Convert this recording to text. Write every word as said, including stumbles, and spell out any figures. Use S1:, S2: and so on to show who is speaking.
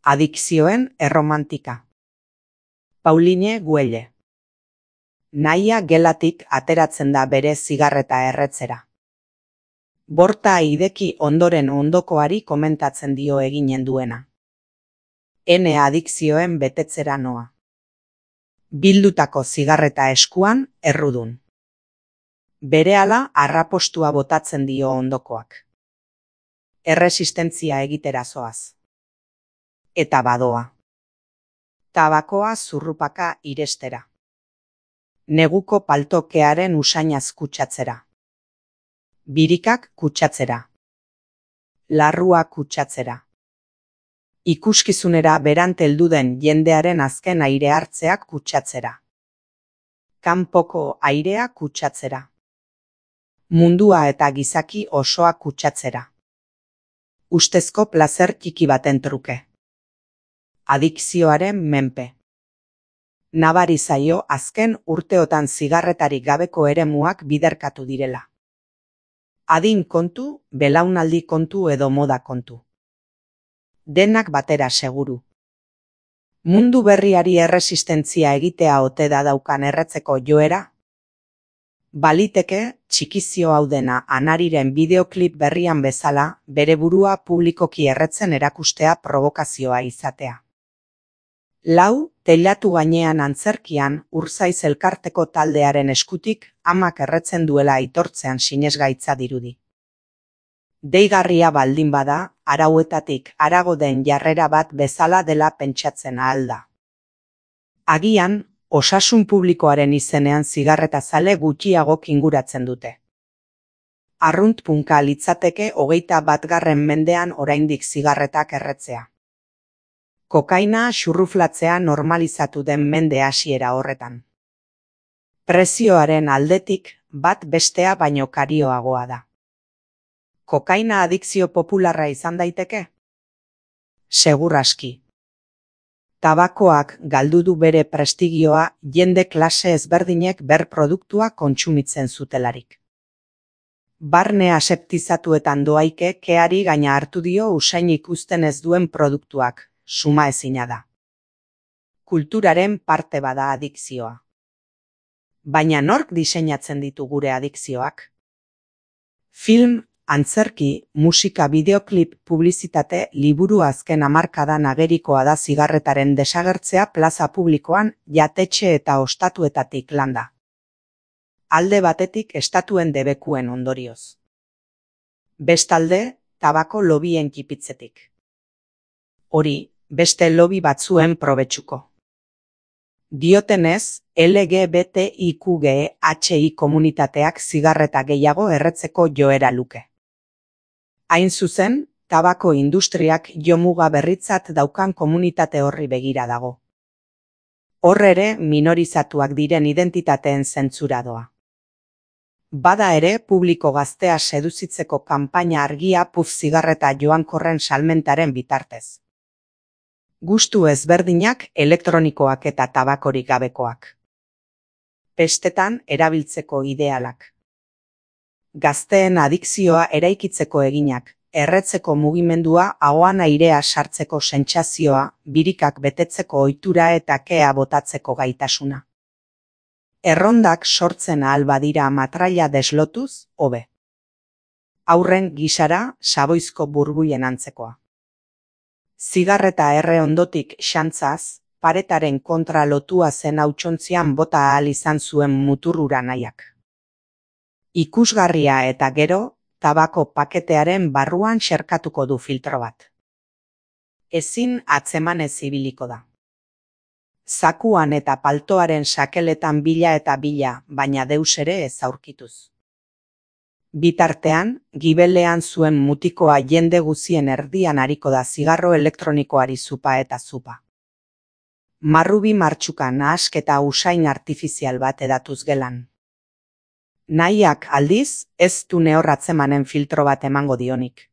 S1: Adikzioen erromantika. Pauline Güelle. Nahia gelatik ateratzen da bere zigarreta erretzera. Borta ideki ondoren ondokoari komentatzen dio eginen duena. Ene adikzioen betetzera noa. Bildutako zigarreta eskuan errudun. Berehala arrapostua botatzen dio ondokoak. Erresistentzia egitera zoaz. Eta badoa. Tabakoa zurrupaka irestera. Neguko paltokearen usainaz kutsatzera. Birikak kutsatzera. Larrua kutsatzera. Ikuskizunera berant heldu den jendearen azken aire hartzeak kutsatzera. Kanpoko airea kutsatzera. Mundua eta gizaki osoa kutsatzera. Ustezko plazer txiki baten truke. Adikzioaren menpe. Nabari zaio azken urteotan zigarretarik gabeko eremuak biderkatu direla. Adin kontu, belaunaldi kontu edo moda kontu. Denak batera seguru. Mundu berriari erresistentzia egitea ote da daukan erretzeko joera? Baliteke, txikizio hau dena Anariren bideoklip berrian bezala, bere burua publikoki erretzen erakustea provokazioa izatea. Lau, teilatu gainean antzerkian, Urzaiz elkarteko taldearen eskutik, amak erretzen duela aitortzean sinesgaitza dirudi. Deigarria baldin bada, arauetatik harago den jarrera bat bezala dela pentsatzen ahal da. Agian, osasun publikoaren izenean zigarretazale gutxiago kinguratzen dute. Arrunt punka litzateke hogeita batgarren mendean oraindik zigarretak erretzea. Kokaina xurruflatzea normalizatu den mende hasiera horretan. Prezioaren aldetik bat bestea baino karioagoa da. Kokaina adikzio popularra izan daiteke? Segur aski. Tabakoak galdu du bere prestigioa jende klase ezberdinek ber produktua kontsumitzen zutelarik. Barne aseptizatuetan doaike keari gaina hartu dio usain ikusten ez duen produktuak. Suma ezina da. Kulturaren parte bada adikzioa. Baina nork diseinatzen ditu gure adikzioak? Film, antzerki, musika, bideoklip, publizitate, liburu azken hamarkadan agerikoa da zigarretaren desagertzea plaza publikoan, jatetxe eta ostatuetatik landa. Alde batetik estatuen debekuen ondorioz. Bestalde, tabako lobien kipitzetik. Hori, beste lobby batzuen probetxuko. Diotenez, L G B T I Q G H I komunitateak zigarreta gehiago erretzeko joera luke. Hain zuzen, tabako industriak jomuga berritzat daukan komunitate horri begira dago. Hor ere minorizatuak diren identitateen zentzura doa. Bada ere publiko gaztea seduzitzeko kanpaina argia puf zigarreta joankorren salmentaren bitartez. Gustu ezberdinak elektronikoak eta tabakorik gabekoak. Pestetan erabiltzeko idealak. Gazteen adikzioa eraikitzeko eginak, erretzeko mugimendua ahoan airea sartzeko sentsazioa, birikak betetzeko ohitura eta kea botatzeko gaitasuna. Errondak sortzen ahal badira matraila deslotuz, hobe. Haurren gisara, saboizko burbuien antzekoa. Zigarreta erre ondotik xantzaz, paretaren kontra lotua zen hautsontzian bota ahal izan zuen muturrura nahiak. Ikusgarria eta gero, tabako paketearen barruan xerkatuko du filtro bat. Ezin atzemanez ibiliko da. Zakuan eta paltoaren sakeletan bila eta bila, baina deus ere ez aurkituz. Bitartean, gibelean zuen mutikoa jende guzien erdian ariko da zigarro elektronikoari zupa eta zupa. Marrubi martxuka nahasketa usain artifizial bat edatuz gelan. Nahiak aldiz, ez du nehor atzemanen filtro bat emango dionik.